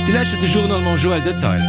Dir lauschtert de Journal mam Joël Detail.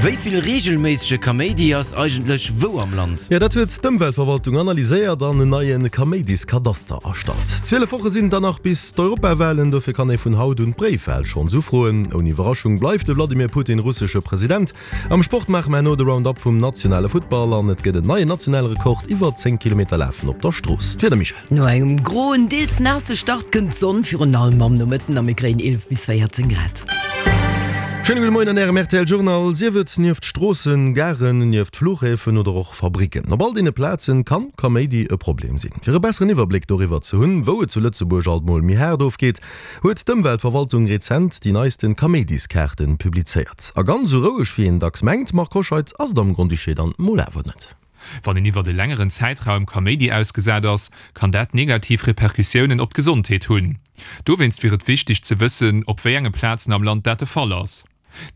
Wéi vill reegelméissege Kaméidi ass eigentlech wou am Land? Jo, dat huet d'Ëmweltverwaltung analyséiert an en neie Kaméidiskadaster erstallt. 12 Woche sinn et dann nach bis d'Europawalen, dofir kann ee vun haut un d'Bréifwal schonns ufroen. Ouni Iwwerraschung bleift de Wladimir Putin russesche President. Am Sport maache mer herno de Round-Up vum nationale Futtball an et gëtt en neien nationale Rekord iwwer 10 Kilometer Lafen op der Strooss. D'Wieder, Michèle? No engem groen, deels naasse Start kënnt d'Sonn, virun allem am Nomëtten a mir kréien 11 bis 14 Grad. Schéine gudde Moien an Ärem rtl Journal. Sief et nieft Stroossen, Garen, nieft Fluchhäfen oder och Fabricken. Op all deene Plazen kann Kaméidi e Problem sinn. Fir e besseren Iwwerbléck doriwwer ze hunn, wou et zu Lëtzebuerg alt mol méi haart ofgeet, huet d'Ëmweltverwaltung rezent déi neisten Kaméidiskaarten publizéiert. A ganz esou roueg wéi een dacks mengt, Marc Hoscheid, ass et am Grand-Duché dann mol awer net. Wann een iwwert e längeren Zäitraum Kaméidi ausgesat ass, kann dat negativ Repercussiounen op d'Gesondheet hunn. Dowéinst wier et wichteg ze wëssen, op wéi enge Plazen am Land dat de Fall ass.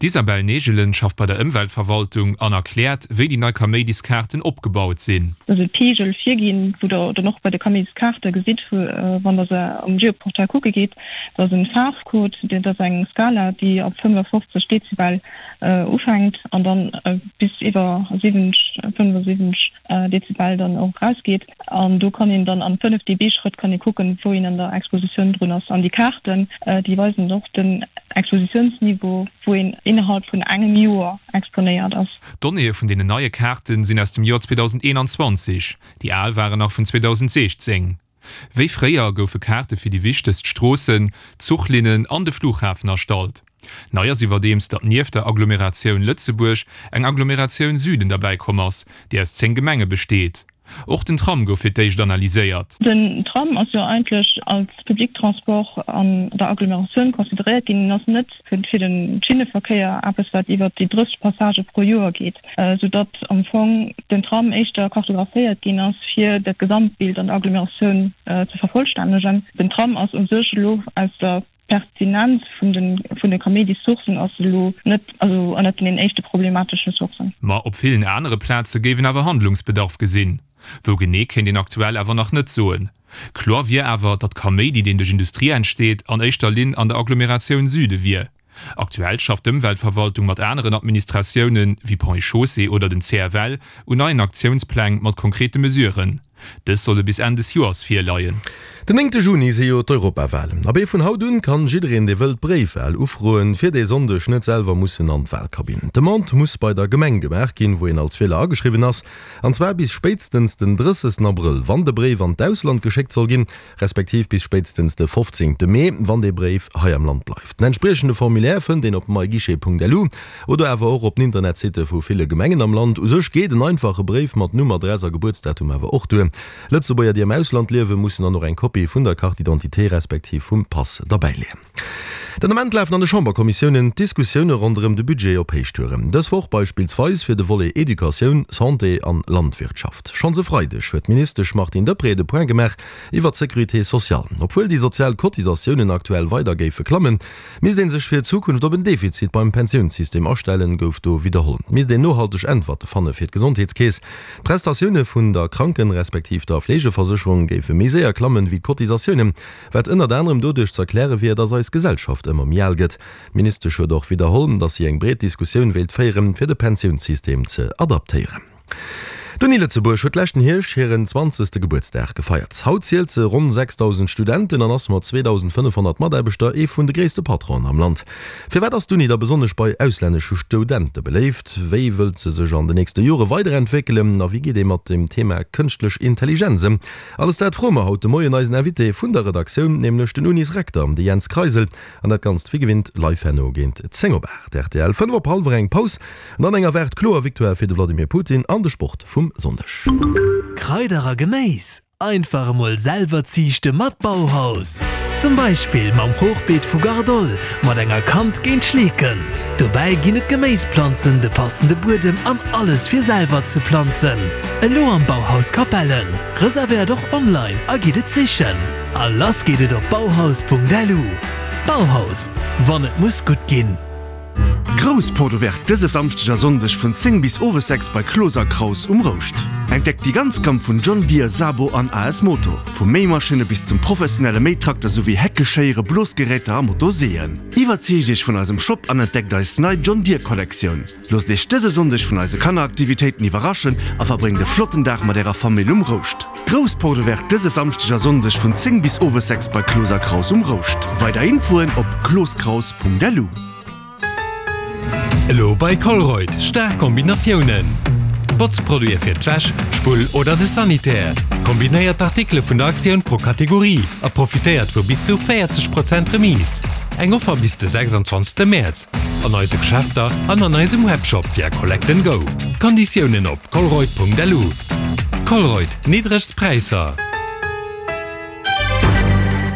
D'Isabelle Negelen schafft bei der Ëmweltverwaltung an erkläert, wéi déi nei Kaméidiskaarten opgebaut sinn. Dat ass e Peegel virginn, wou der dann och bei de Kaméidiskaarte gesitt, wann der se am Geoportail kucke gitt, dat ass e Faarfcode, dat ass eng Skala, déi ab 55 Dezibel ufänkt an dann bis iwwer 70, 75 Dezibel dann och erausgeet. An do kann een dann an 5 dB-Schrëtt kann ee kucken, wou een an der Expositioun drun ass. An déi Kaarten, déi weisen och den Expositiounsniveau, wou een innerhalb vun engem Joer exponéiert ass. D'Donnéeë vun deenen neie Kaarte sinn aus dem Joer 2021, déi al waren nach vun 2016. Wéi fréier goufe Kaarte fir déi wichtegst Stroossen, Zuchlinnen an de Flughafen erstallt. Nei ass iwwerdeems, datt nieft der Agglomeratioun Lëtzebuerg eng Agglomeratioun Süden derbäi komm ass, déi aus 10 Gemenge besteet. Och den Tram gouf fir d'éischt analyséiert. Den Tram ass jo eigentlech als Public Transport an der Agglomeratioun consideréiert ginn. En ass net fir de Schinneverkéier eppes, wat iwwert déi 30 Passagë pro Joer geet, soudatt am Fong den Tram éischter kartographéiert ginn ass, fir dat Gesamtbild an der Agglomeratioun ze vervollstännegen. Den Tram ass u sech elo aus der Pertinenz vun de vun de Kaméidissourcen ass elo net, also ënnert den éischte problematesche Sourcen. Ma op villen anere Plaze géif een awer Handlungsbedarf gesinn. Wou genee kéint een aktuell awer nach net soen. Kloer wier awer, datt Kaméidi, deen duerch Industrie entsteet, an éischter Linn an der Agglomeratioun Süde wier. Aktuell schafft d'Ëmweltverwaltung mat aneren Administratiounen, wéi Ponts et Chaussées oder den CFL, un neien Aktiounspläng mat konkrete Mesuren. Dës solle bis Enn des Joers virleien. Den néngte Juni si jo d'Europawalen. Abee vun haut un kann jiddereen dee wëllt d'Bréifwal ufroen, fir dee Sonndeg net selwer mussen an d'Walkabinn. D'Demande muss bei der Gemeng gemaach ginn, wou een als Wieler ageschriwwen ass, an zwar bis spéitstens den 30 Abrëll, wann de Bréif an d'Ausland geschéckt soll ginn, respektiv bis spéitstens de 15 Mee, wann dee Bréif hei am Land bleift. Den entspriechende Formulaire fënnt een op myguichet.lu oder awer och op den Internetsitte vu ville Gemengen am Land. U sech geet en einfache Bréif mat Numm, Adress a Gebuertsdatum awer och duer. Lëtzebuerger, déi am Ausland liewen, mussen dann och eng Kopie vun der Carte d'identité respektiv vum Pass derbäileeën. Den Ament lafen an de Chamberkommissiounen d'Diskussioune ronderëm de Budget op Héichtouren. Dës Woch beispillsweis fir de Volet Educatioun, Santé an Landwirtschaft. Schonns e Freideg huet d'Ministesch Martine Deprez de Point gemaach iwwer d'Sécurité sociale. Obwuel déi sozial Cotisatiounen aktuell weider géife klammen, misst ee sech fir d'Zukunft op en Defizit beim Pensiounssystem astellen, gouf do widderholl. Et misst een nohalteg Äntwerte fanne fir d'Gesondheetskeess. D'Prestatioune vun der Kranken respektiv der Fleegeversécherung géife méi séier klammen, wéi d'Cotisatiounen. Wat ënnert anerem doduerch ze erkläre wier, datt eis Gesellschaft ëmmer méi al gëtt. D'Ministesch huet och widderholl, datt si eng breet Diskussioun wéilt féieren, fir de Pensiounssystem ze adaptéieren. D'Uni Lëtzebuerg huet leschten Hierscht hiren zwanzegste Gebuertsdag gefeiert. Haut zielt se ronn 6.000 Studenten an ass mat 2.500 Mataarbechter ee vun de gréisste Patronen am Land. Firwat ass d'Uni da besonnesch bei auslännesche Stoudente beléift? Wéi wëllt se sech an de nächste Jore weiderentwéckelen? A wéi geet ee mat dem Thema kënschtlech Intelligenz ëm? Alles dat froe mer haut de Moien eisen Invité vun der Redaktioun, nämlech den Unisrekter, de Jens Kreisel. An dat Ganzt wéi gewinnt live herno géint 10 op 8. Rtl 5 op hallwer eng Paus an dann eng erwaart kloer Victoire fir de Vladimir Putin an de Sport vum Sonndeg. Kraider a Geméis einfach emol selwer ziichte mat Bauhaus. Zum Beispill mam Hochbeet vu Gardol mat enger Kant géint Schleeken. Dobäi ginn et Geméisplanzen, de passende Buedem an alles fir selwer ze planzen. Elo am Bauhaus Capellen. Reservéiert och online a gitt et sichen. A lass geet et op bauhaus.lu. Bauhaus, wann et muss gutt ginn. Grouss Porte Ouverte dëse Samschdeg a Sonndeg vun 10 bis owes 6 bei Cloos a Kraus um Rouscht. Entdeckt déi ganz Gamm vun John Deere, Sabo an AS Moto. Vu Méimaschinne bis zum professionelle Méitrakter souwéi Hecke, Schéiere, Blosgeräter a Motorseeën. Iwwerzeegt Iech vun eisem Shop an entdeckt eis nei John Deere Kollektioun. Loosst Iech dëse Sonndeg vun eise Kanneraktivitéiten iwwerraschen a verbréngt e flotten Dag mat Ärer Famill um Rouscht. Grouss Porte Ouverte dëse Samschdeg a Sonndeg vun 10 bis owes 6 bei Cloos a Kraus um Rouscht. Weider Infoen op clooskraus.lu. Elo bei Colruyt, staark Kombinatiounen! Botzproduite fir d'Wäsch, d'Spull oder de Sanitär. Kombinéiert d'Artikele vun der Aktioun pro Kategorie a profitéiert vu bis zu 40 Prozent Remise. Eng Offer bis de 26 Mäerz. An eise Geschäfter an an eisem Webshop via Collect and Go. Konditiounen op colruyt.lu. Colruyt, niddregst Präisser.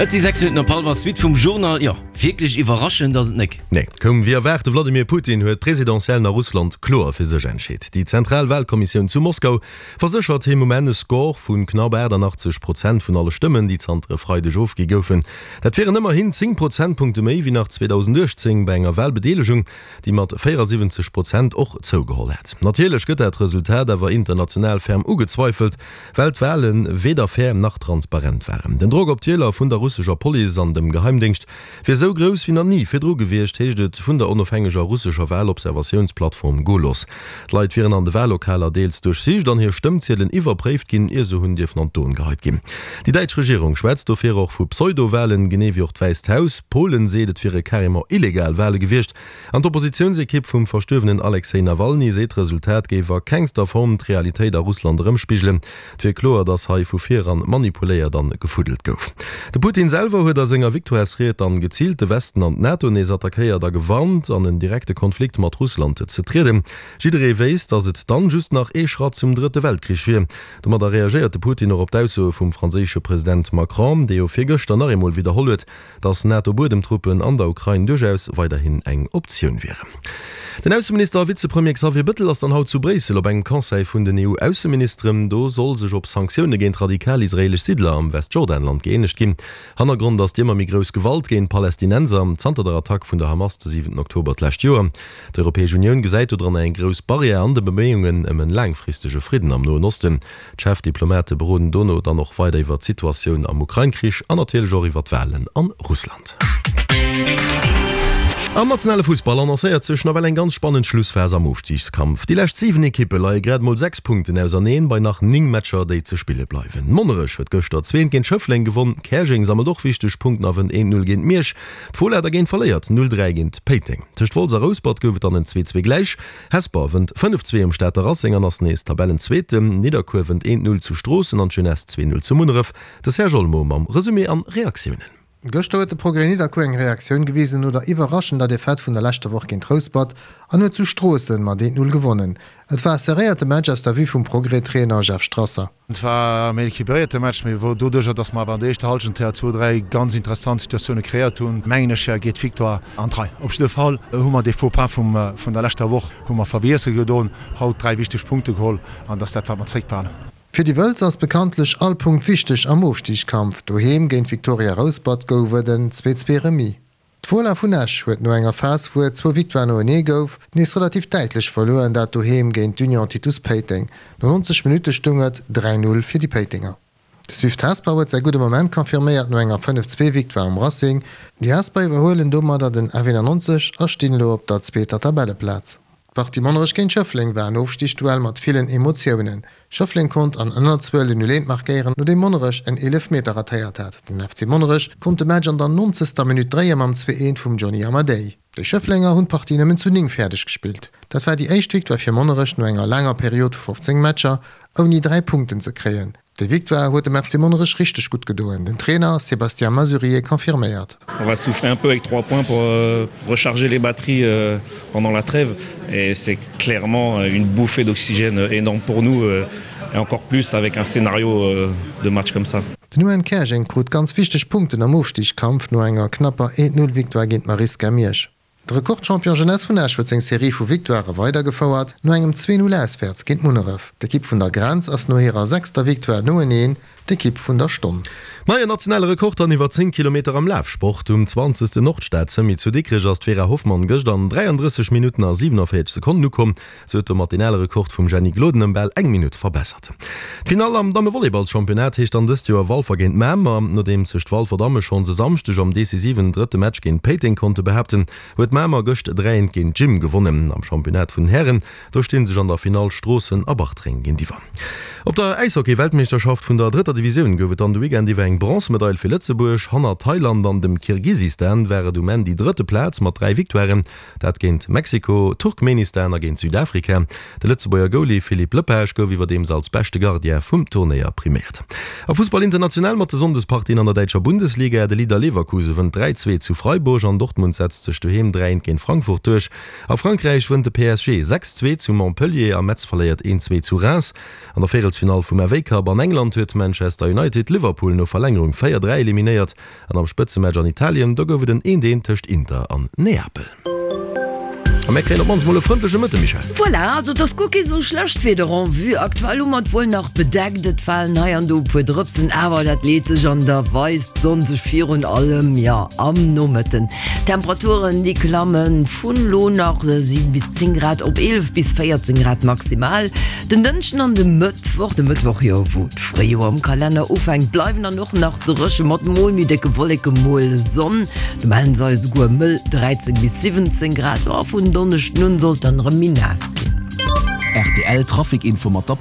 Et si 6 Minutten op hallwer. Suite vum Journal. Jo, wierklech iwwerraschend ass et nek. Nee, koum wéi erwaart, De Wladimir Putin huet d'Presidentiellen a Russland kloer fir sech entscheet. Déi zentral Walkommissioun zu Moskau verséchert him um Enn e Score vu knapp 88 Prozent vun alle Stëmmen, déi zanter e Freideg ofgi goufen. Dat wieren ëmmerhin 10 Prozentpunkte méi wéi nach 2018 bei enger Walbedeelegung, déi mat 74 Prozent och zougeholl hätt. Natierlech gëtt dat Resultat awer international ferm ugezweifelt, well d'Wale weder fair nach transparent waren. Den Drock op d'Wieler vun der russescher Police an dem Geheimdéngscht wier esou grouss wéi nach ni virdru gewiescht, heescht et vun der onofhängeger russescher Walobservatiounsplattform Golos. D'Leit wieren an de Wallokaler deels duerchsicht an hir Stëmmziedelen iwwerpréift ginn, ier se hunn dierfen an d'Urn geheit ginn. Déi däitsch Regierung schwätzt dofir och vu Pseudo-Walen, genee wéi och d'Wäisst Haus. Polen seet, et wiere carrément illegal Wale gewiescht. An d'Oppositiounsekipp vum verstuerwenen Alexej Nawalny seet, d'Resultat géif a kengster Form d'Realitéit a Russland erëmspigelen. Et wier kloer, datt hei vu vir eran manipuléiert an gefuddelt gouf. De Putin selwer huet a senger Victoiresried dann geziilt de Westen an d'NATO nees attackéiert a gewarnt, an en direkte Konflikt mat Russland ze trieden. Jidderee wéisst, datt et dann just nach ee Schratt zum drëtte Weltkrich wier. Domadder reagéiert de Putin och op d'Aussoe vum franséische President Macron, dee jo virgëschter nach eemol widderholl huet, Datt NATO-Buedemtruppen an der Ukrain duerchaus weiderhin eng Optioun wieren. Den Ausseminister a Vizepremier Xavier Bëttel ass dann haut zu Bréissel op engem Conseil vun den EU-Ausseministeren. Do soll sech op Sanktioune géint radikal israeelesch Siddler am Westjordanland gëeenegt ginn. Hannergrond ass déi ëmmer méi grouss Gewalt géint Palästinenser zanter der Attack vun der Hamas de 7 Oktober d'lescht Joer. D'Europäesch Unioun gesäit dodranner eng grouss Barrière an de Beméiungen ëm en laangfristege Fridden am Noen Osten. D'Chefdiplomate beroden dono dann och weider iwwer d'Situatioun am Ukrain-Krich an natierlech och iwwer d'Walen a Russland. Am nationale Fussball annoncéiert sech nawell eng ganz spannend Schlussphas am Ofstigskampf. Déi lescht 7 Ekippe leie grad mol 6 Punkten auserneen bei nach 9 Matcher, déi ze spille bleiwen. Monnerech huet gëschter zweent géint Schëffleng gewonn, Käerjeng sammelt och wichteg Punkten a wënnt 1, 0 géint Miersch. D'Fola dergéint verléiert 0, 3 géint Péiteng. Tëscht Wolz a Rouspert gouf et dann en 2, 2 gläich. Hesper wënnt 5, 2 um Stater Racing an ass nees Tabellenzweeten. Nidderkuer wënnt 1, 0 zu Stroossen an d'Jeunesse 2, 0 zu Munneref. De Serge Olmo mam Resumé an Reaktiounen. Gëschter huet de Progrès Nidderkuer eng Reaktioun gewisen no der iwwerraschender Defaite vun der leschter Woch géint Rouspert an huet zu Stroossen mat 1, 0 gewonnen. Et war e serréierte Match aus der Vue vum Progrès-Trainer Jeff Strasser. Et war e méi equilibréierte Match, mee wou doduercher, dass mer awer an der éischter Hallschent zwou, dräi ganz interessant Situatioune kreéiert hunn, mengen ech, geet d'Victoire an d'Rei. Op jidde Fall hu mer dee Faux-pas vum, vun der leschter Woch hu mer verwiesse gedoen, haut dräi wichteg Punkte geholl an dat ass dat, wat mer zréckbehalen. Fir déi Wëlzer ass bekanntlech all Punkt wichteg am Ofstigskampf. Doheem géint Victoria Rouspert gouf et en 2, 2 Remis. D'Fola vun Esch huet no enger Phas wou et zwou Victoiren noenee gouf, nees relativ däitlech verluer an dat doheem géint d'Union Titus Péiteng. No 90 Minutte stung et 3, 0 fir déi Péitenger. De Swift Hesper huet säi gudde Moment confirméiert no enger 5, 2 Victoire um Racing. Déi Hesper iwwerhuelen domadder den F91 a stinn elo op der zweeter Tabelleplaz. D'Partie Monnerech géint Schëffleng war en Ofstigduell mat villen Emotiounen. Schëffleng konnt an Ënnerzuel den 0 eent markéieren, nodeem Monnerech en Eelefmeter ratéiert hat. Den FC Monnerech konnt de Match an der nonzegster Minutt dréie mam 2 eent vum Johnny Amadei. Déi Schëfflenger hunn d'Partie nëmmen zu 9 fäerdeg gespillt. Dat war déi éischt Victoire fir Monnerech no enger laanger Period vu 15 Matcher ouni 3 Punkten ze kréien. Déi Victoire huet dem FC Monnerech richteg gutt gedoen, den Trainer Sébastien Masurier confirméiert. On va souffler un peu avec 3 points pour recharger les batteries pendant la trêve et c'est clairement une bouffée d'oxygène énorme pour nous et encore plus avec un scénario de match comme ça. Den UN Käerjeng krut ganz wichteg Punkten am Ofstigskampf no enger knapper 1-0 Victoire géint d'Marisca Miersch. De Rekordchampion Jeunesse vun Esch huet seng Serie vu Victoirë weidergefouert, no engem 2, 0 auswäerts géint Munneref. D'Ekipp vun der Grenz ass no hirer sechster Victoire noeneen d'Ekipp vun der Stonn. Neien nationale Rekord an iwwer 10 Kilometer am Lafsport. Um 20. Nordstad-Semi zu Dikrech ass d'Vera Hoffmann gëscht an 33 Minutten a 47 Sekonnen ukomm. Se huet domat deen ale Rekord vum Jenny Gloden ëm bal eng Minutt verbessert. D'Finall am Dammevolleyballschampionnat heescht dann dëst Joer Walfer géint Mamer. Nodeems sech d'Walfer Damme schonns e Samschdeg am decisiven drëtte Match géint Péiteng konnte behaapten, huet Mamer gëscht 3 eent géint d'Gym gewonnen. Am Championnat vun den Hären, do sti sech an der Finall Stroossen a Bartreng géintiwwer. Op der Äishockey-Weltmeeschterschaft vun der drëtter Divisioun gouf et dann de Weekend iwwer eng Bronzemedail fir Lëtzebuerg. Hanner Thailand an dem Kirgisistan war et um Enn déi drëtte Plaz mat 3 Victoiren. Dat géint Mexiko, Turkmenistan a géint Südafrika. De Lëtzebuerger Goalie Philippe Lepage gouf iwwerdeems als beschte Gardien vum Turnéier priméiert. A Fussball international mat de Sonndespartien an der däitscher Bundesliga, De Leader Leverkuse wënnt 3, 2 zu Freiburg an Dortmund setzt sech doheem 3, 1 géint Frankfurt duerch. A Frankräich wënnt de PSG 6, 2 zu Montpellier a Metz verléiert 1, 2 zu Reims. An der Véierelsfinall vum FA Cup an England huet Manchester United Liverpool no Verlängerung 4, 3 eliminéiert. An am Spëtzematch an Italien, do gouf et en eent eent tëscht Inter an Neapel. A mär kréien op mannst mol e frëndleche Mëtte, Michèle. Voilà, also et ass guer kee sou schlecht Wieder en vue. Aktuell hu mer et wuel nach bedeckt, et falen hei an do e puer Drëpsen, awer dat leet sech an da weist d'Sonn sech virun allem, jo, am Nomëtten. D'Temperaturen, déi klamme vun lo nach 7 bis 10 Grad op 11 bis 14 Grad maximal. Den Dënschden an de Mëttwoch, de Mëttwoch, jo, wou d'Fréijoer am Kalenner ufänkt, bleiwen dann och nach Dréche mat mol méi décke Wolleke, mol Sonn. Do mellen se eis esouguer mëll 13 bis 17 Grad. A vun Donneschden un sollt dann erëm méi naass ginn. Rtl Trafic Info mat der.